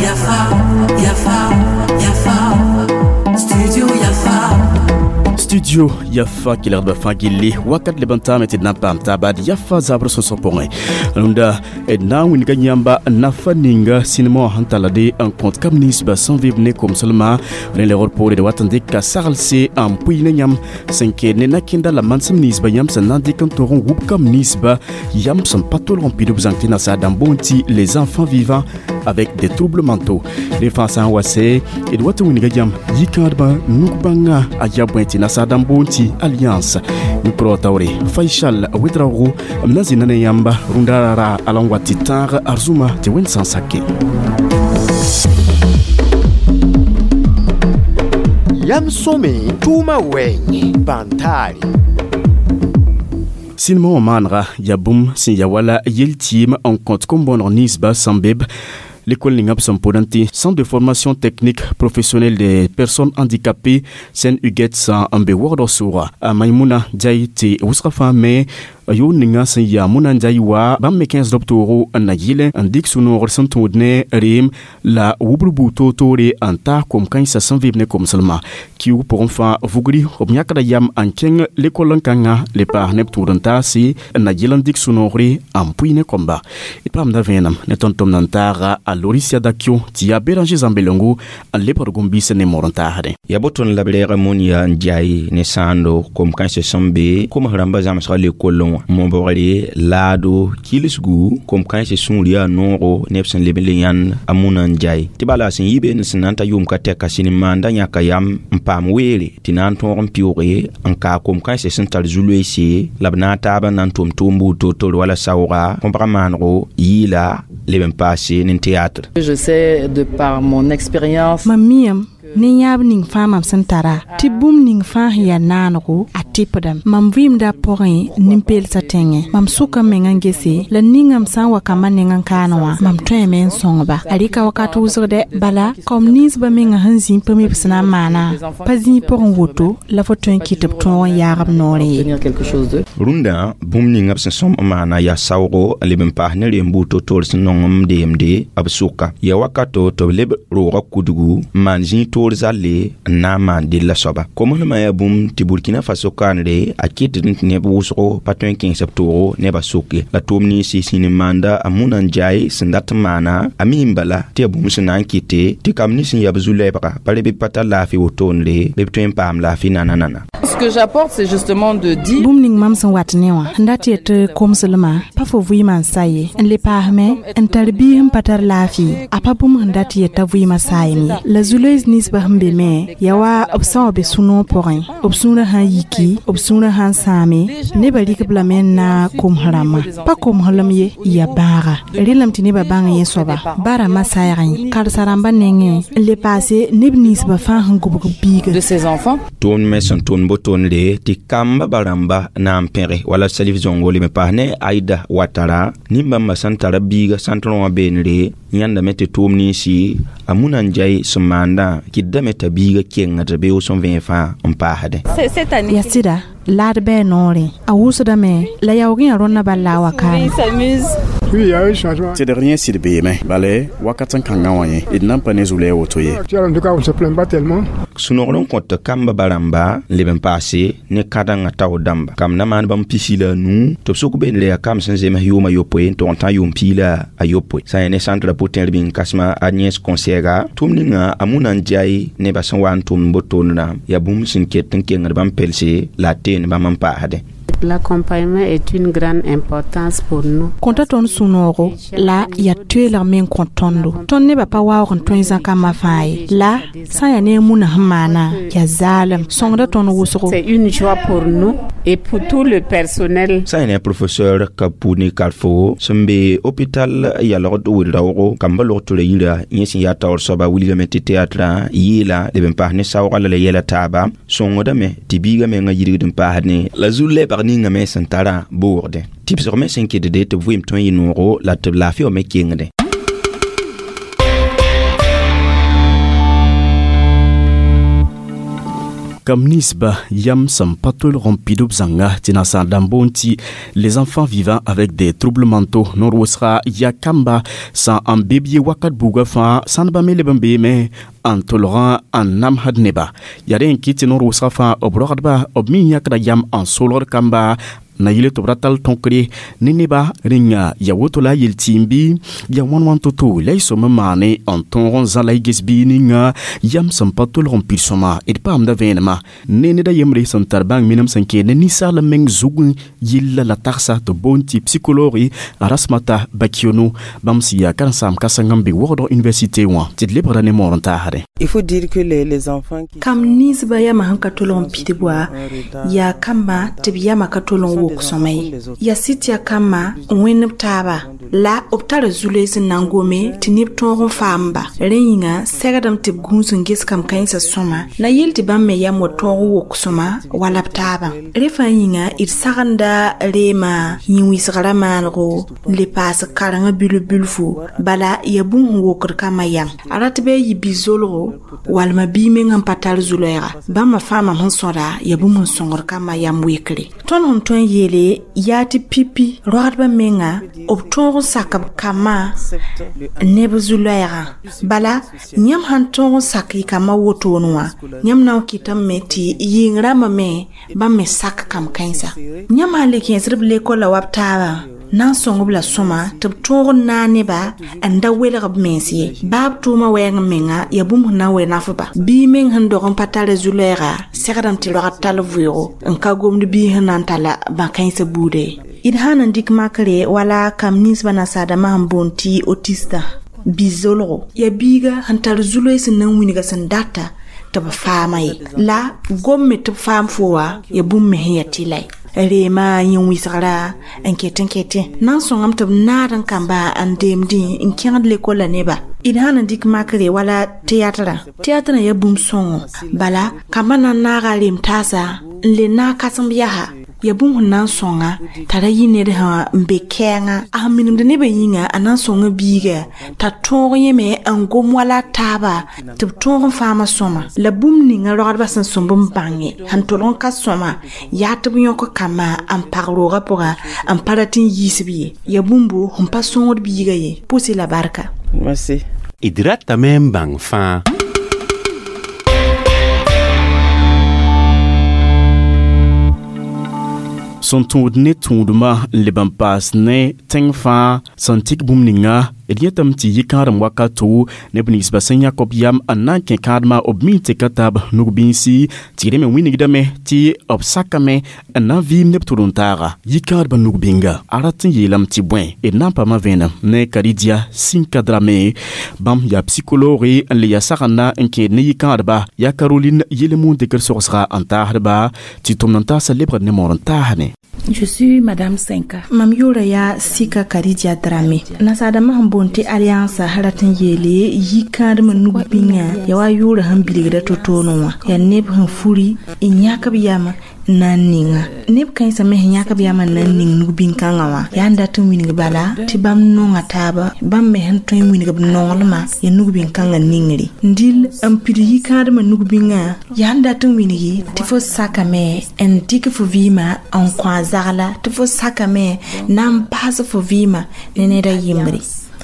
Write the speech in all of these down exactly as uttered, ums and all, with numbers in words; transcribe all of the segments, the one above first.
Yafa, Yafa, Yafa, Studio Yafa. Studio Yafa kelgdbã fãa gilli wakat leb n taame tɩ d na n paam taaba d Yafa zabr sõsg pʋgẽ rũndã d na n wilga yãmba nafa ninga sĩnema wã sẽn tallde n kõt kam ninsbã sẽn vɩb ne komslmã rẽ lebgr poore d wat n dɩka saglse n pʋɩ ne yãmb sẽn keed ne nakẽnda la mansem ninsbã yãmb sẽn na n dɩk n tog n wub kam ninsba yãmb sẽn pa tolg n pid b zãng tɩ nasaar dãmb boond tɩ les enfants vivant avec des troubles mentaux. Rẽ fãa sã n wa sɛ d wat n wilga yãmb yikãadbã nug-bãngã a ya bõe tɩ nasaar dãmb boond tɩ alliance mikro taoore Faisal Ouedraogo m na zĩnda ne yãmba rũndã rara ala n wat tɩ tãag arzũma tɩ wẽnd sã n sake. Yam sõme tʋʋmã wɛɛngẽ bãn-taare. Sĩnema wã maanega yaa bũmb sẽn ya wala yel-tɩɩm n kõt kom-bõoneg ninsba sẽn be l'école ninga b sẽn pʋdẽ tɩ Centre de formation technique professionnelle des personnes handicapées Sen Huguette n be wagdg sʋʋga a Maimuna Jai tɩ wʋsga fãa me yʋʋn ninga sẽn yaa Muna Njai wa bãmb me kẽesd b toogo n na yɩl n dɩk sũ-noogr sẽn tũud ne reem la wubr buud toor-toore n taas kom-kãensã sẽn vɩb ne komslmã kiuug pʋgẽ fãa vugri b yãkda yam n kẽng lekol n kãngã le paas ne b tũud n taase n na yɩl n dɩk sũ-noogre n pʋɩ ne kõmba. D paamda vẽenem ne tõnd-tʋmd n taaga a Lorisia Dakio tɩ yaa Béranger Zambelongo n lebgd gom-biisã ne moor n taasdẽ. Ya boton la b reeg Monia Ndiaye ne sãando kom-kãensã sẽn be koms rãmbã zãmsga lekollẽ wã mobgre laado kilsgu kom-kãensã sũur yaa noogo neb sẽn leb n le yãnd a Muna Ndiaye tɩ bala sẽn yi beene sẽn na n ta yʋʋm ka tɛka sĩn maanda yãka yam n paam weere tɩ na n tõog n pɩʋʋge n kaa kom-kãensã sẽn tar zu-loeese la b na n taabã na n tʋm tʋʋm buud toor-toor wala saooga kõbga maanego yɩɩla leb n paase ne théâtre. Je sais de par mon expérience. Mam miam ne yãab ning fãa mam sẽn tara tɩ bũmb ning fãa sẽn yaa naanego a tɩpdame mam vɩɩmda pʋgẽ nin-peelsã tẽngẽ mam sʋka m mengã n gese la ningame sã n wa kambã neng n kaane wã mam tõeme n sõngba a rɩka wakat wʋsgdɛ bala kaom ninsbã menga sẽn zĩ pa mi b sẽn na n maana pa zĩig pʋgẽ woto la fo tõe n kɩt b tõog n yaag b noorẽ ye. Rũndã bũmb ninga b sẽn sõm n maana yaa saoogo n leb n paas ne reem buud toor-toor sẽn nong n deemde b sʋka yaa wakato tɩ b leb roogã kudgu n maan zĩig toor zalle n na n maan della soaba komslmã yaa bũmb tɩ Burkina Faso kaanre a kɩtd tɩ neb wʋsgo pa tõe n kẽes b toogo nebã soke la tʋʋm ninsi sĩn n maanda a Muna Ndiaye sẽn dat n maana a mi n bala tɩ yaa bũmb sẽn na n kɩte tɩ kam nins sẽn yaa b zu-lɛɛbga pa re bɩ pa tar laafɩ wotone bɩ b tõe n paam laafɩ nana-nana. Ce que j'apporte, c'est justement de dire bũmb ning mam sẽn wat ne wã n dat yet tɩ komslmã pa fo vɩɩmã n sa ye n le paasme n tar biis n pa tar laafɩ a pa bũmb sẽn dat yet t'a vɩɩmã saayem ye la zu-loees ninsbã sẽn be me yaa wa b sã wa be sũ-noog pʋgẽ b sũurã sã n yiki b sũurã sã n sãame nebã rɩk-b lame n na koms rãmbã pa komslem ye yaa bãaga rẽlame tɩ nebã bãng yẽ soaba ba rãmbã saɛgẽ karsa rãmbã nengẽ n le paase neb ninsbã fãa sẽn gʋbg b biiga de ses enfants. Tʋʋmd me sẽn tʋʋnd botonre tɩ kamba ba rãmba na n pẽge wala Salif Zongo leb n paas ne Aida Watara nin-bãmbã sẽn tara biiga sãntr wã beenre yãndame tɩ tʋʋm ninsi a Muna Ndiaye sẽn maandã kɩtdame t'a biiga kengd bee sẽn vẽeg fãa n paasdẽ. Yaa sɩda laad bɩ a noorẽ a wʋsdame la yaoog yã rõndã bal la a wa kaame. Oui, il y a eu changement. Tɩ d yẽ sɩd beeme bala wakat n kãngã wã yẽ d nan pa ne zu-lɛɛ woto ye. En tout cas, on ne se plaint pas tellement. Sũ-noogr n kõt kamba ba rãmba n leb n paase ne kãdengã taoor dãmba kam na maan bãmb pisi la a nuu tɩ b sʋk beenre yaa kam sẽn zems yʋʋma yopoe n tog n tã yʋʋm piig la a yopoe sã n ne centre pʋ-tẽr bĩng kãsema Agnès Consɛɛga tʋʋm ninga a Muna Ndiaye nebã sẽn wa n tʋmd botoonrã yaa bũmb sẽn ket n kengd bãmb pelse la a teen bãmb n paasdẽ. L'accompagnement est une grande importance pour nous. Kõta tõnd sũ-noogo la yaa toeelg me n kõ tõndo tõnd nebã pa waoog n tõe zãkambã fãa ye la sã n yaa ne a Muna sẽn maana yaa zaalem sõngda tõnd wʋsgo. C'est une joie pour nous et pour tout le personnel. Sã n ne professeur Kapuni Karfo sẽn be hôpital yalgd wɩr-raoogo kamba log-tʋra yira yẽ sẽn yaa taoor soaba wilgame tɩ théâtrã yɩɩla leb n paas ne saooga la la yɛla taaba sõngdame tɩ biigã mengã yirgd n paasdẽ la zu-lɛbg ninga me sẽn tara boogdẽ tɩbsg me sẽn kɩtde tɩ b vɩɩm tõe n yɩ noogo la tɩ b laafɩ wã me kengdẽ. Kam ninsba yam sẽn pa tolg n pid b zãnga tɩ nasaar dãmb boond tɩ les enfants vivant avec des troubles mentaux noor wʋsga yaa kamba sã n be b ye wakat buugã fãa sãndbã me leb n beeme n tolgã n namsd neba yaa rẽ n kɩt tɩ noor wʋsga fãa b rogdba b me yãkda yam n solgd kamba na yele tɩ b ra tall tõkre ne neba rẽnga ya woto la a yel-tɩɩm bɩ ya wãn wãn to-to la y sõm n maane n tõog n zã la y ges biig ninga yam sẽn pa tolg n pid sõma d paamda vẽenema ne ned a yembre sẽn tar bãng minim sẽn keed ne ninsaal meng zugẽ yella la tagsa tɩ boond tɩ psychologue Rasmata Bakiono bãmb sẽn yaa karen-saam kãseng n be Wogdg université wã tɩ d lebgra ne moor n taasdẽ. Il faut dire que les, les enfants qui Kam ninsba yama sẽn ka tolg n pidb wa yaa kamba tɩ b yama ka tolg n wok sõma ye yaa sɩd tɩ yaa kamba n wẽnd b taaba la b tara zu-loees n na n gome tɩ neb tõog n faamba rẽ yĩnga segdame tɩ b gũus n ges kam kãensã sõma na yel tɩ bãmb me yam wa tõog n wok sõma wala b taabã rẽ fãa yĩnga d sagenda reema yĩn-wɩsgrã maanego n le paas karengã bilf bilfu bala yaa bũmb sẽn wokd kambã yam a rat bɩ a yɩ bi-zolgo walma bii meng sẽn pa tar zu-loɛɛga bãmba fãa mam sẽn sõda yaa bũmb sẽn sõngd kambã yam wekre tõnd sẽn tõe n yeele yaa tɩ pipi rogdbã menga b tõog n sak b kambã ne b zu-loɛɛgã bala yãmb sãn tõog n sak y kambã wotone wã yãmb na n kɩtame me tɩ yɩng rãmbã me bãmb me sak kam kãensa yãmb sãn le kẽesd b lekola wa b taabã na n sõng b la sõma tɩ b tõog n naag neba n da welg b mens ye baa b tʋʋmã wɛɛng menga yaa bũmb sẽn na n we nafba bii meng sẽn dog n pa tara zu-loɛɛga segdame tɩ rogd tall vʋʋgo n ka gomd bii sẽn na n talla bã-kãensã buuda ye d sã n dɩk makre wala kam ninsbã nasaadãmbã sẽn boond tɩ autiste bi-zolgo yaa biiga sẽn tar zu-loees sẽn na n wilga sẽn data tɩ b faama ye la gom me tɩ b faam fo wa yaa bũmb me sẽn yaa tɩla ye reema yĩn-wɩsgra n ket n kete na n sõngame tɩ b naad n kamba n deemdẽ n kẽgd lekola neba d sã n dɩk makre wala tɩyatrã tɩyatrã yaa bũmb sõngo bala kambã na n naaga a reem taasa n le naag kãsem yaa yaa bũmb sẽn na n sõnga t'a ra yɩ ned sã n be kɛɛngã a sẽn minemd nebã yĩnga a na n sõnga biiga t'a tõog yẽme n gom wala a taaba tɩ b tõog n faama sõma la bũmb ninga rogdbã sẽn sõmb n bãnge sẽn tolg n ka sõma yaa tɩ b yõk kambã n pag roogã pʋga n pa rat n yiisb ye yaa bũmbo sẽn pa sõngd biiga ye pʋsɩ la barka. Merci. D ratame n bãng fãa. Sẽn tũud ne tũudmã n leb n paas ne tẽng fãa sẽn tik bũmb ninga d yetame tɩ yɩ kãadem wakato neb ninsbã sẽn yãk b yam n na n kẽ kãadmã b mi n teka taab nug-bĩnsi tɩ rẽ me wĩnigdame tɩ b sakame n na n vɩɩm neb tʋd-n-taaga yɩ-kãadbã nug-bĩnga a rat n yeelame tɩ bõe d na n paama vẽenem ne Karidia Sinka Drame bãmb yaa psychologue n le yaa sagenda n kẽed ne yɩ-kãadba yaa Caroline Yelemun dɩkr sogsga n taasdba tɩ tʋmd n taasa lebgd ne moor n taasne. Je suis Madame Senka. Mam yʋʋra yaa Sika Karidia Drame nasaadãmbã sẽn boond tɩ alliance rat n yeele yikãadmã nug-bĩngã yaa wa yʋʋra sẽn bilgda to-toone wã yaa neb sẽn furi n yãk b yam n na n ninga neb kãensã me sẽn yãk b yam n na n ning nug-bĩn-kãngã wã yaa n dat n wilg bala tɩ bãmb nonga taaba bãmb me sẽn tõe n wilg b nonglmã yaa nug-bĩn-kãngã ningre dil n pid yikãadmã nug-bĩngã yaa n dat n wilgi tɩ fo sakame n dɩk fo vɩɩmã n kõ a zagla tɩ fo sakame na n baas fo vɩɩmã ne ned a yembre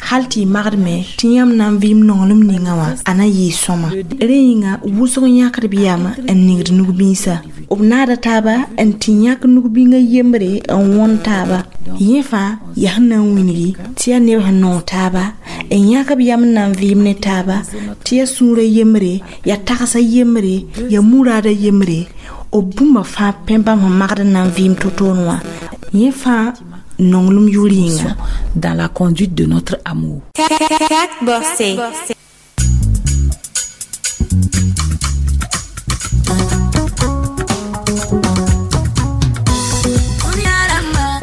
hal tɩ y magdme tɩ yãmb na n vɩɩm nonglem ninga wã a na yɩɩ sõma rẽ yĩnga wʋsg yãkd b yam n ningd nug-bĩnsã b naada taaba n tɩ yãk nug-bĩngã yembre n wõn taaba yẽ fãa yaa sẽn na n wilgi tɩ yaa neb sẽn nong taaba n yãk b yam n na n vɩɩm ne taaba tɩ yaa sũurã yembre yaa tagsã yembre yaa muraadã yembre b bũmba fãa pẽ bãmb sẽn magd n na n vɩɩm to-toone wã yẽ fãa nonglem yʋʋr yĩnga. Dans la conduite de notre amour.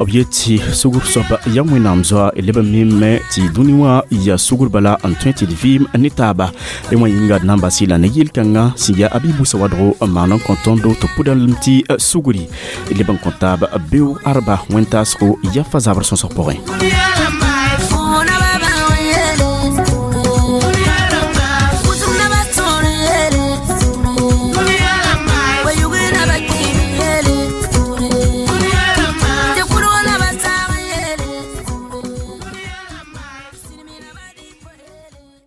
B yet tɩ sugr soaba yaa Wẽnnaam zoa d leb n mime tɩ dũni wã yaa sugr bala n tõe tɩ d vɩɩm ne taaba rẽ wã yĩnga d na n bas la ne yel-kãngã sẽn yaa Abi-Busa wadgo n maan n kõ tõndo tɩ pʋdalem tɩ sugri d leb n kõ taab beoog arba wẽn-taasgo yafa zabr sõsg pʋgẽ.